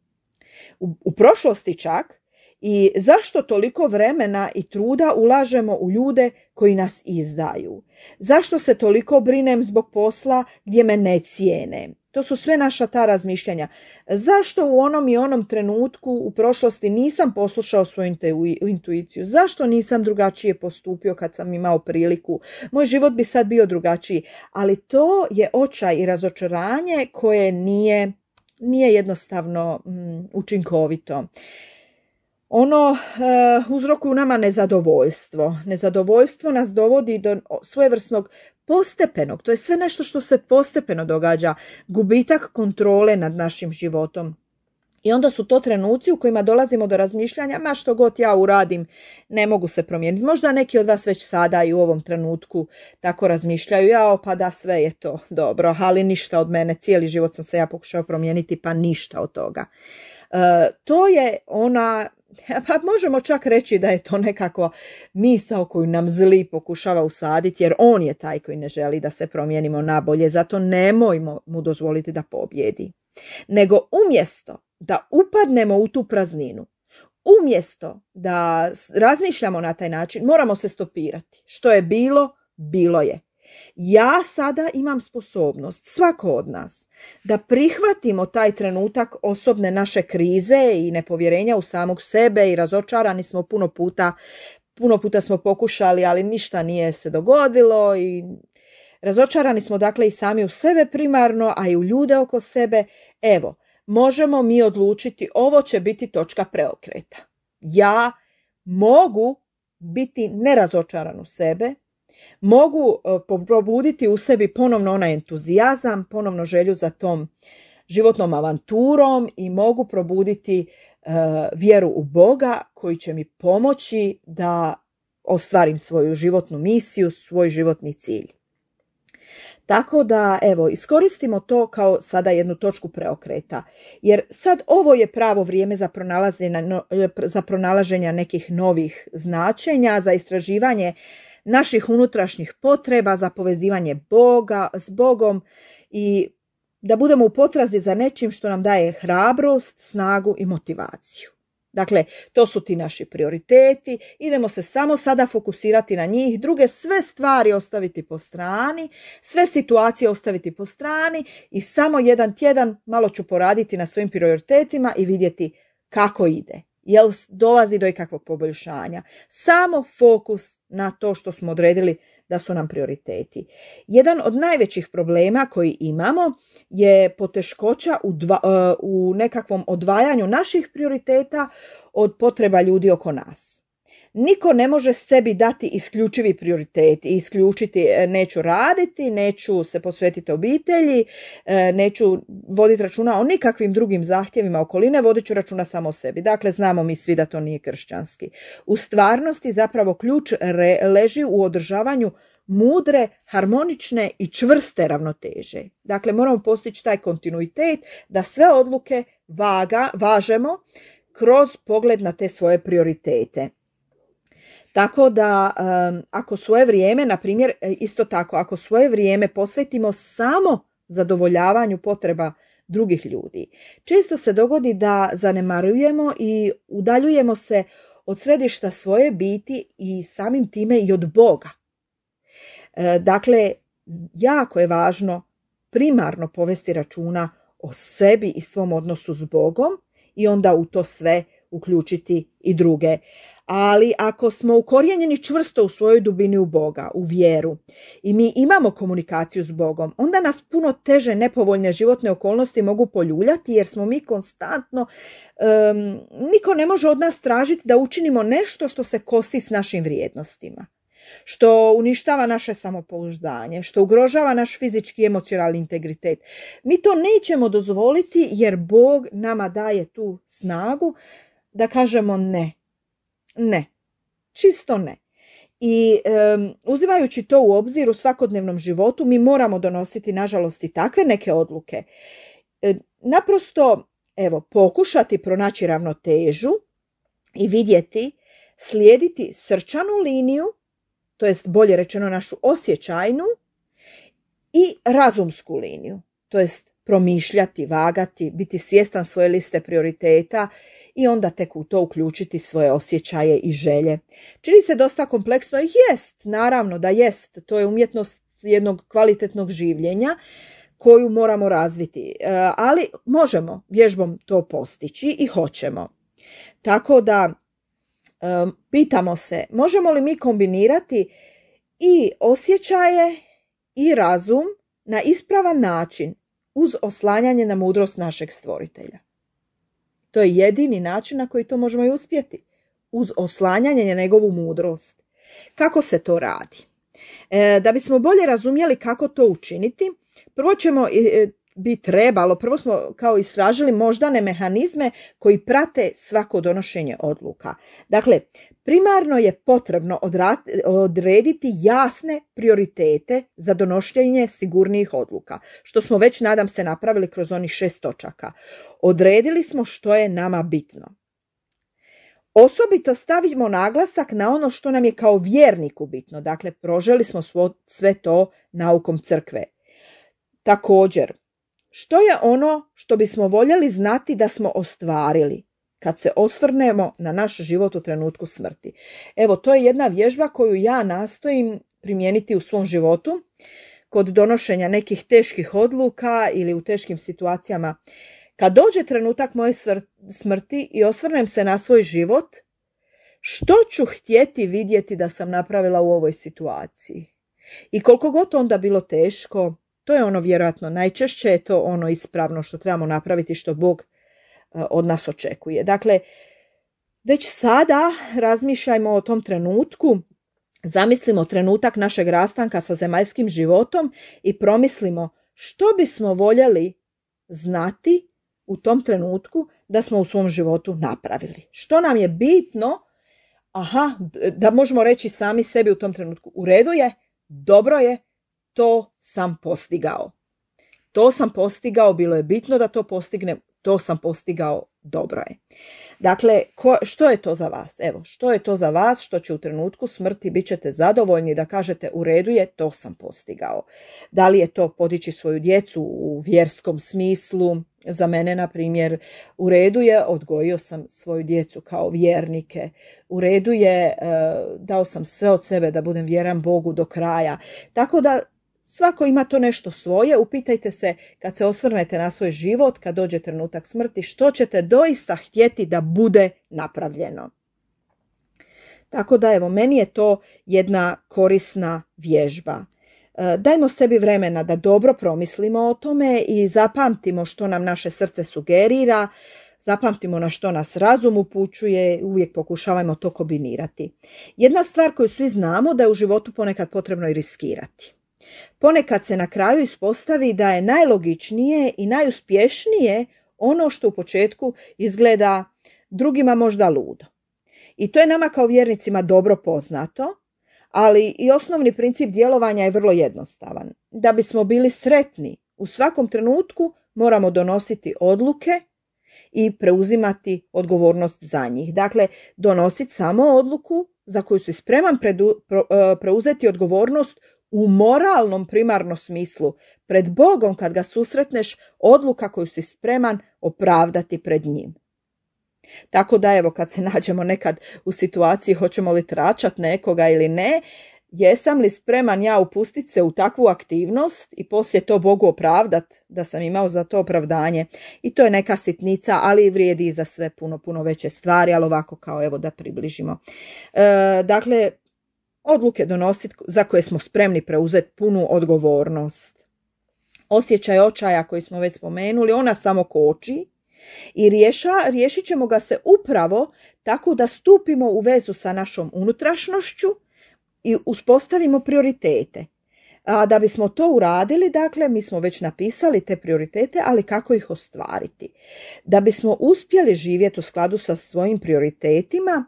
u, u prošlosti čak, i zašto toliko vremena i truda ulažemo u ljude koji nas izdaju? Zašto se toliko brinem zbog posla gdje me ne cijene? To su sve naša ta razmišljanja. Zašto u onom i onom trenutku u prošlosti nisam poslušao svoju intuiciju? Zašto nisam drugačije postupio kad sam imao priliku? Moj život bi sad bio drugačiji. Ali to je očaj i razočaranje koje nije, nije jednostavno mm, učinkovito. Ono uh, uzrokuje u nama nezadovoljstvo. Nezadovoljstvo nas dovodi do svojevrsnog postepenog, to je sve nešto što se postepeno događa, gubitak kontrole nad našim životom. I onda su to trenuci u kojima dolazimo do razmišljanja, ma što god ja uradim, ne mogu se promijeniti. Možda neki od vas već sada i u ovom trenutku tako razmišljaju, jao pa da sve je to dobro, ali ništa od mene, cijeli život sam se ja pokušao promijeniti, pa ništa od toga. Uh, to je ona, pa možemo čak reći da je to nekako misao koju nam zli pokušava usaditi, jer on je taj koji ne želi da se promijenimo na bolje, zato nemojmo mu dozvoliti da pobjedi. Nego umjesto da upadnemo u tu prazninu, umjesto da razmišljamo na taj način, moramo se stopirati. Što je bilo, bilo je. Ja sada imam sposobnost, svako od nas, da prihvatimo taj trenutak osobne naše krize i nepovjerenja u samog sebe i razočarani smo puno puta, puno puta smo pokušali, ali ništa nije se dogodilo i razočarani smo dakle i sami u sebe primarno, a i u ljude oko sebe. Evo, možemo mi odlučiti, ovo će biti točka preokreta. Ja mogu biti nerazočaran u sebe, mogu probuditi u sebi ponovno onaj entuzijazam, ponovno želju za tom životnom avanturom i mogu probuditi uh, vjeru u Boga koji će mi pomoći da ostvarim svoju životnu misiju, svoj životni cilj. Tako da, evo, iskoristimo to kao sada jednu točku preokreta, jer sad ovo je pravo vrijeme za pronalaženje, za pronalaženje nekih novih značenja, za istraživanje naših unutrašnjih potreba, za povezivanje Boga s Bogom i da budemo u potrazi za nečim što nam daje hrabrost, snagu i motivaciju. Dakle, to su ti naši prioriteti, idemo se samo sada fokusirati na njih, druge sve stvari ostaviti po strani, sve situacije ostaviti po strani i samo jedan tjedan malo ću poraditi na svojim prioritetima i vidjeti kako ide. Jel dolazi do ikakvog poboljšanja. Samo fokus na to što smo odredili da su nam prioriteti. Jedan od najvećih problema koji imamo je poteškoća u, dva, u nekakvom odvajanju naših prioriteta od potreba ljudi oko nas. Niko ne može sebi dati isključivi prioritet i isključiti neću raditi, neću se posvetiti obitelji, neću voditi računa o nikakvim drugim zahtjevima okoline, vodit ću računa samo o sebi. Dakle, znamo mi svi da to nije kršćanski. U stvarnosti zapravo ključ re, leži u održavanju mudre, harmonične i čvrste ravnoteže. Dakle, moramo postići taj kontinuitet da sve odluke vaga, važemo kroz pogled na te svoje prioritete. Tako da um, ako svoje vrijeme, na primjer, isto tako, ako svoje vrijeme posvetimo samo zadovoljavanju potreba drugih ljudi, često se dogodi da zanemarujemo i udaljujemo se od središta svoje biti i samim time i od Boga. E, dakle, jako je važno primarno povesti računa o sebi i svom odnosu s Bogom i onda u to sve uključiti i druge. Ali ako smo ukorijenjeni čvrsto u svojoj dubini u Boga, u vjeru i mi imamo komunikaciju s Bogom, onda nas puno teže nepovoljne životne okolnosti mogu poljuljati jer smo mi konstantno, um, niko ne može od nas tražiti da učinimo nešto što se kosi s našim vrijednostima, što uništava naše samopouzdanje, što ugrožava naš fizički i emocionalni integritet. Mi to nećemo dozvoliti jer Bog nama daje tu snagu da kažemo ne. Ne, čisto ne. I um, uzimajući to u obzir u svakodnevnom životu, mi moramo donositi, nažalost, i takve neke odluke. E, naprosto, evo, pokušati pronaći ravnotežu i vidjeti, slijediti srčanu liniju, to jest bolje rečeno našu osjećajnu, i razumsku liniju, to jest promišljati, vagati, biti svjestan svoje liste prioriteta i onda tek u to uključiti svoje osjećaje i želje. Čini se dosta kompleksno, jest, naravno da jest, to je umjetnost jednog kvalitetnog življenja koju moramo razviti, ali možemo vježbom to postići i hoćemo. Tako da um, pitamo se, možemo li mi kombinirati i osjećaje i razum na ispravan način uz oslanjanje na mudrost našeg stvoritelja. To je jedini način na koji to možemo i uspjeti. Uz oslanjanje na njegovu mudrost. Kako se to radi? E, da bismo bolje razumjeli kako to učiniti, prvo ćemo e, bi trebalo, prvo smo kao istražili moždane mehanizme koji prate svako donošenje odluka. Dakle, primarno je potrebno odrediti jasne prioritete za donošenje sigurnijih odluka, što smo već, nadam se, napravili kroz onih šest točaka. Odredili smo što je nama bitno. Osobito stavimo naglasak na ono što nam je kao vjerniku bitno, dakle, proželi smo sve to naukom crkve. Također, što je ono što bismo voljeli znati da smo ostvarili kad se osvrnemo na naš život u trenutku smrti? Evo, to je jedna vježba koju ja nastojim primijeniti u svom životu kod donošenja nekih teških odluka ili u teškim situacijama. Kad dođe trenutak moje smrti i osvrnem se na svoj život, što ću htjeti vidjeti da sam napravila u ovoj situaciji? I koliko god onda bilo teško, to je ono vjerojatno najčešće, je to ono ispravno što trebamo napraviti, što Bog od nas očekuje. Dakle, već sada razmišljajmo o tom trenutku, zamislimo trenutak našeg rastanka sa zemaljskim životom i promislimo što bismo voljeli znati u tom trenutku da smo u svom životu napravili. Što nam je bitno, aha, da možemo reći sami sebi u tom trenutku, u redu je, dobro je, to sam postigao. To sam postigao, bilo je bitno da to postignem, to sam postigao, dobro je. Dakle, ko, što je to za vas? Evo, što je to za vas što će u trenutku smrti bit ćete zadovoljni da kažete u redu je, to sam postigao. Da li je to podići svoju djecu u vjerskom smislu? Za mene, na primjer, u redu je, odgojio sam svoju djecu kao vjernike. U redu je, dao sam sve od sebe da budem vjeran Bogu do kraja. Tako da svako ima to nešto svoje. Upitajte se kad se osvrnete na svoj život, kad dođe trenutak smrti, što ćete doista htjeti da bude napravljeno. Tako da evo, meni je to jedna korisna vježba. Dajmo sebi vremena da dobro promislimo o tome i zapamtimo što nam naše srce sugerira, zapamtimo na što nas razum upućuje, uvijek pokušavajmo to kombinirati. Jedna stvar koju svi znamo da je u životu ponekad potrebno i riskirati. Ponekad se na kraju ispostavi da je najlogičnije i najuspješnije ono što u početku izgleda drugima možda ludo. I to je nama kao vjernicima dobro poznato, ali i osnovni princip djelovanja je vrlo jednostavan. Da bismo bili sretni u svakom trenutku moramo donositi odluke i preuzimati odgovornost za njih. Dakle, donositi samo odluku za koju si spreman predu, pro, preuzeti odgovornost u moralnom primarnom smislu. Pred Bogom kad ga susretneš, odluka koju si spreman opravdati pred njim. Tako da evo, kad se nađemo nekad u situaciji hoćemo li tračat nekoga ili ne, jesam li spreman ja upustiti se u takvu aktivnost i poslije to Bogu opravdat da sam imao za to opravdanje. I to je neka sitnica, ali vrijedi i za sve puno, puno veće stvari, ali ovako kao evo da približimo. E, dakle, odluke donositi za koje smo spremni preuzeti punu odgovornost. Osjećaj očaja koji smo već spomenuli, ona samo koči i riješa, riješit ćemo ga se upravo tako da stupimo u vezu sa našom unutrašnjošću i uspostavimo prioritete. A da bismo to uradili, dakle, mi smo već napisali te prioritete, ali kako ih ostvariti? Da bismo uspjeli živjeti u skladu sa svojim prioritetima,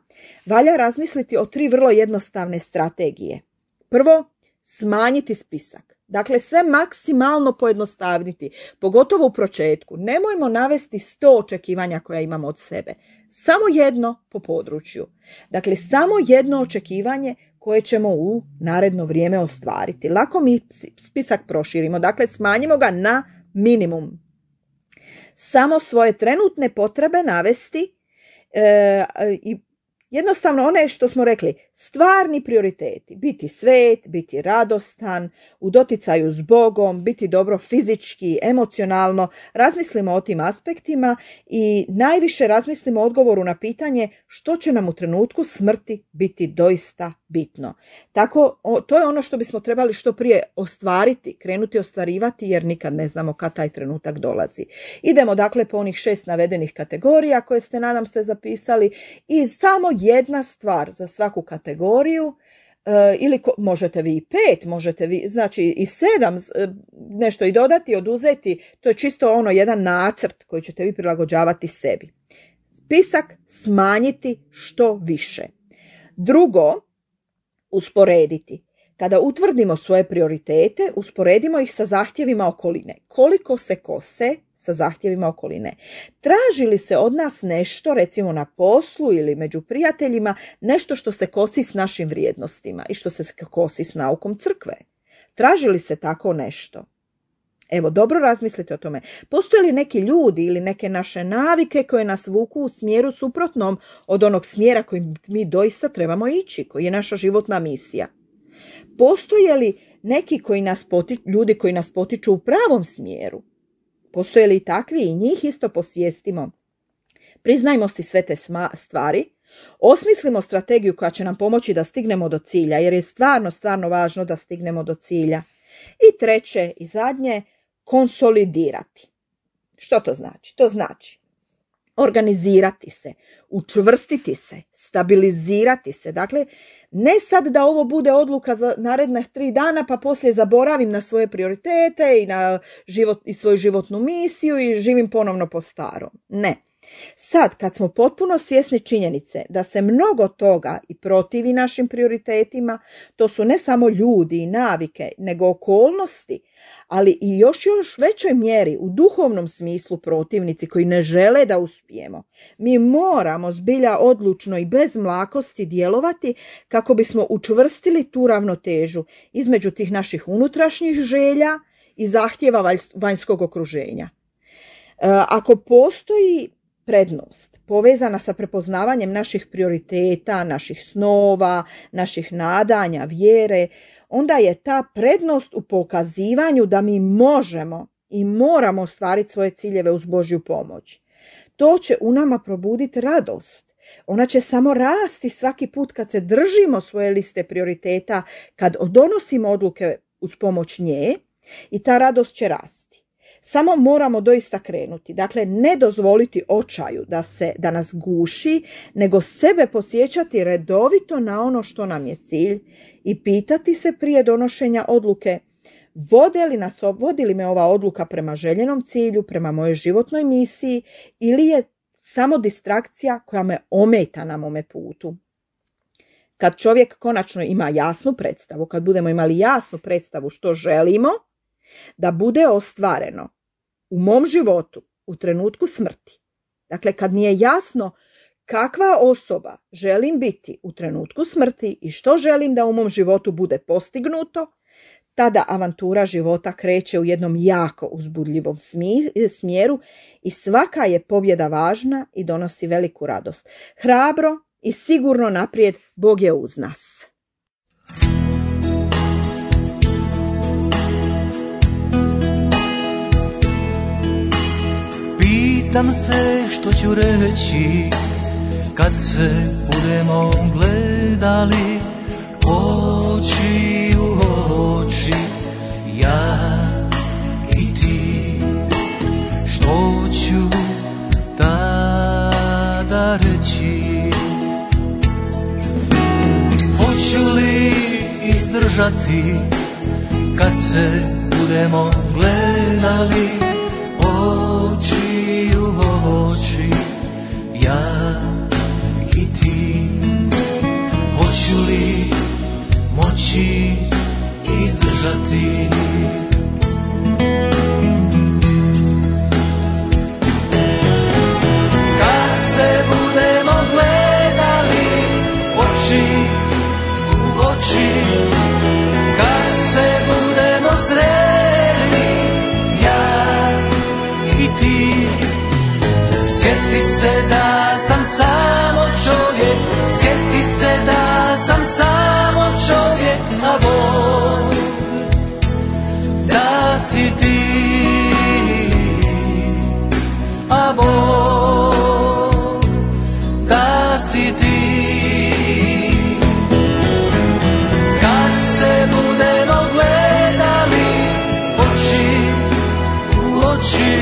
valja razmisliti o tri vrlo jednostavne strategije. Prvo, smanjiti spisak. Dakle, sve maksimalno pojednostavniti, pogotovo u početku. Nemojmo navesti sto očekivanja koja imamo od sebe. Samo jedno po području. Dakle, samo jedno očekivanje koje ćemo u naredno vrijeme ostvariti. Lako mi spisak proširimo, dakle smanjimo ga na minimum. Samo svoje trenutne potrebe navesti e, i jednostavno one što smo rekli, stvarni prioriteti, biti svet, biti radostan, u doticaju s Bogom, biti dobro fizički, emocionalno, razmislimo o tim aspektima i najviše razmislimo o odgovoru na pitanje što će nam u trenutku smrti biti doista bitno. Tako, to je ono što bismo trebali što prije ostvariti, krenuti ostvarivati jer nikad ne znamo kad taj trenutak dolazi. Idemo dakle po onih šest navedenih kategorija koje ste, nadam se, zapisali i samo jedna stvar za svaku kategoriju, e, ili ko, možete vi i pet, možete vi znači i sedam, e, nešto i dodati, oduzeti, to je čisto ono jedan nacrt koji ćete vi prilagođavati sebi. Spisak smanjiti što više. Drugo, usporediti. Kada utvrdimo svoje prioritete, usporedimo ih sa zahtjevima okoline. Koliko se kose sa zahtjevima okoline? Traži li se od nas nešto, recimo na poslu ili među prijateljima, nešto što se kosi s našim vrijednostima i što se kosi s naukom crkve? Traži li se tako nešto? Evo, dobro razmislite o tome. Postoje li neki ljudi ili neke naše navike koje nas vuku u smjeru suprotnom od onog smjera kojim mi doista trebamo ići, koji je naša životna misija? Postoje li neki koji nas potiču, ljudi koji nas potiču u pravom smjeru? Postoje li i takvi i njih isto posvijestimo? Priznajmo si sve te stvari, osmislimo strategiju koja će nam pomoći da stignemo do cilja, jer je stvarno, stvarno važno da stignemo do cilja. I treće i zadnje, konsolidirati. Što to znači? To znači organizirati se, učvrstiti se, stabilizirati se. Dakle, ne sad da ovo bude odluka za naredne tri dana pa poslije zaboravim na svoje prioritete i na život, i svoju životnu misiju i živim ponovno po starom. Ne. Sad, kad smo potpuno svjesni činjenice da se mnogo toga i protivi našim prioritetima, to su ne samo ljudi i navike, nego okolnosti, ali i još još većoj mjeri u duhovnom smislu protivnici koji ne žele da uspijemo. Mi moramo zbilja odlučno i bez mlakosti djelovati kako bismo učvrstili tu ravnotežu između tih naših unutrašnjih želja i zahtjeva vanjskog okruženja. E, ako postoji prednost povezana sa prepoznavanjem naših prioriteta, naših snova, naših nadanja, vjere, onda je ta prednost u pokazivanju da mi možemo i moramo ostvariti svoje ciljeve uz Božju pomoć. To će u nama probuditi radost, Ona će samo rasti svaki put kad se držimo svoje liste prioriteta, kad donosimo odluke uz pomoć nje, i ta radost će rasti. Samo moramo doista krenuti. Dakle, ne dozvoliti očaju da, se, da nas guši, nego sebe podsjećati redovito na ono što nam je cilj i pitati se prije donošenja odluke: Vode li nas, vodi li me ova odluka prema željenom cilju, prema mojoj životnoj misiji, ili je samo distrakcija koja me ometa na mome putu? Kad čovjek konačno ima jasnu predstavu, kad budemo imali jasnu predstavu što želimo da bude ostvareno u mom životu u trenutku smrti, dakle kad mi je jasno kakva osoba želim biti u trenutku smrti i što želim da u mom životu bude postignuto, tada avantura života kreće u jednom jako uzbudljivom smjeru i svaka je pobjeda važna i donosi veliku radost. Hrabro i sigurno naprijed, Bog je uz nas. Pitam se što ću reći kad se budemo gledali oči u oči, ja i ti. Što ću tada reći? Hoću li izdržati kad se budemo gledali oči u oči, ja i ti? Hoću li moći izdržati? Kad se budemo gledali oči u oči, kad se budemo sreli, ja i ti. Sjeti se da sam samo čovjek, sjeti se da sam samo čovjek, a Bog da si ti, a Bog da si ti. Kad se budemo gledali oči u oči,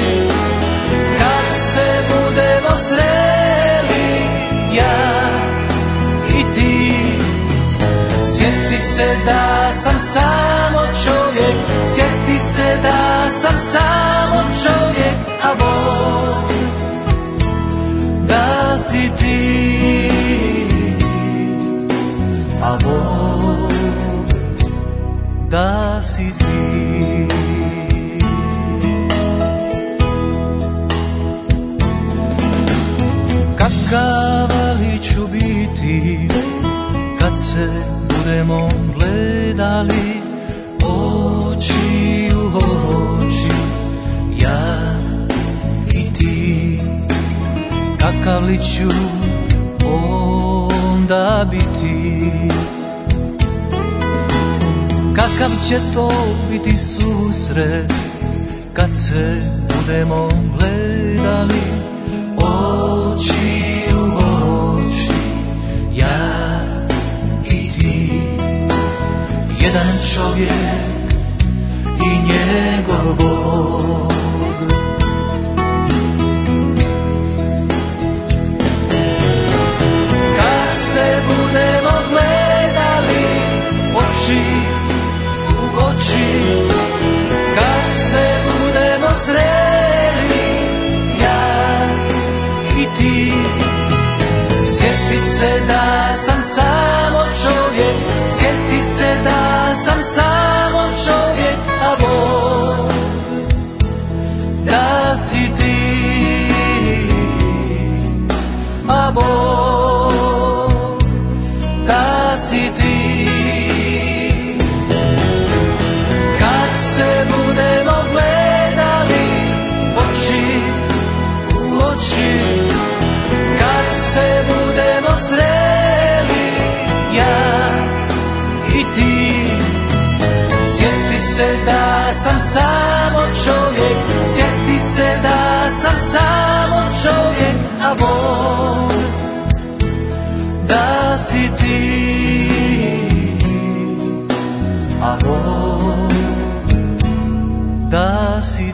kad se budemo sreli, ja i ti. Sjeti se da sam samo čovjek, sjeti se da sam samo čovjek, a Bog da si ti, a Bog da si ti. Kakav li ću biti kad se budemo gledali oči u oči, ja i ti? Kakav li ću onda biti? Kakav će to biti susret kad se budemo gledali oči u oči, ja i ti? Jedan čovjek i njegov Bog. Kad se budemo gledali oči u oči, kad se budemo sreli, ja i ti. Sjeti se da sam samo čovjek, sjeti se da sam samo čovjek, a Bog da si ti, a Bog da si ti. Kad se budemo gledali oči u oči, kad se budemo sreli, ja i ti. Sjeti se da sam samo čovjek, sjeti se da sam samo čovjek, a Bog da si ti, amor, da si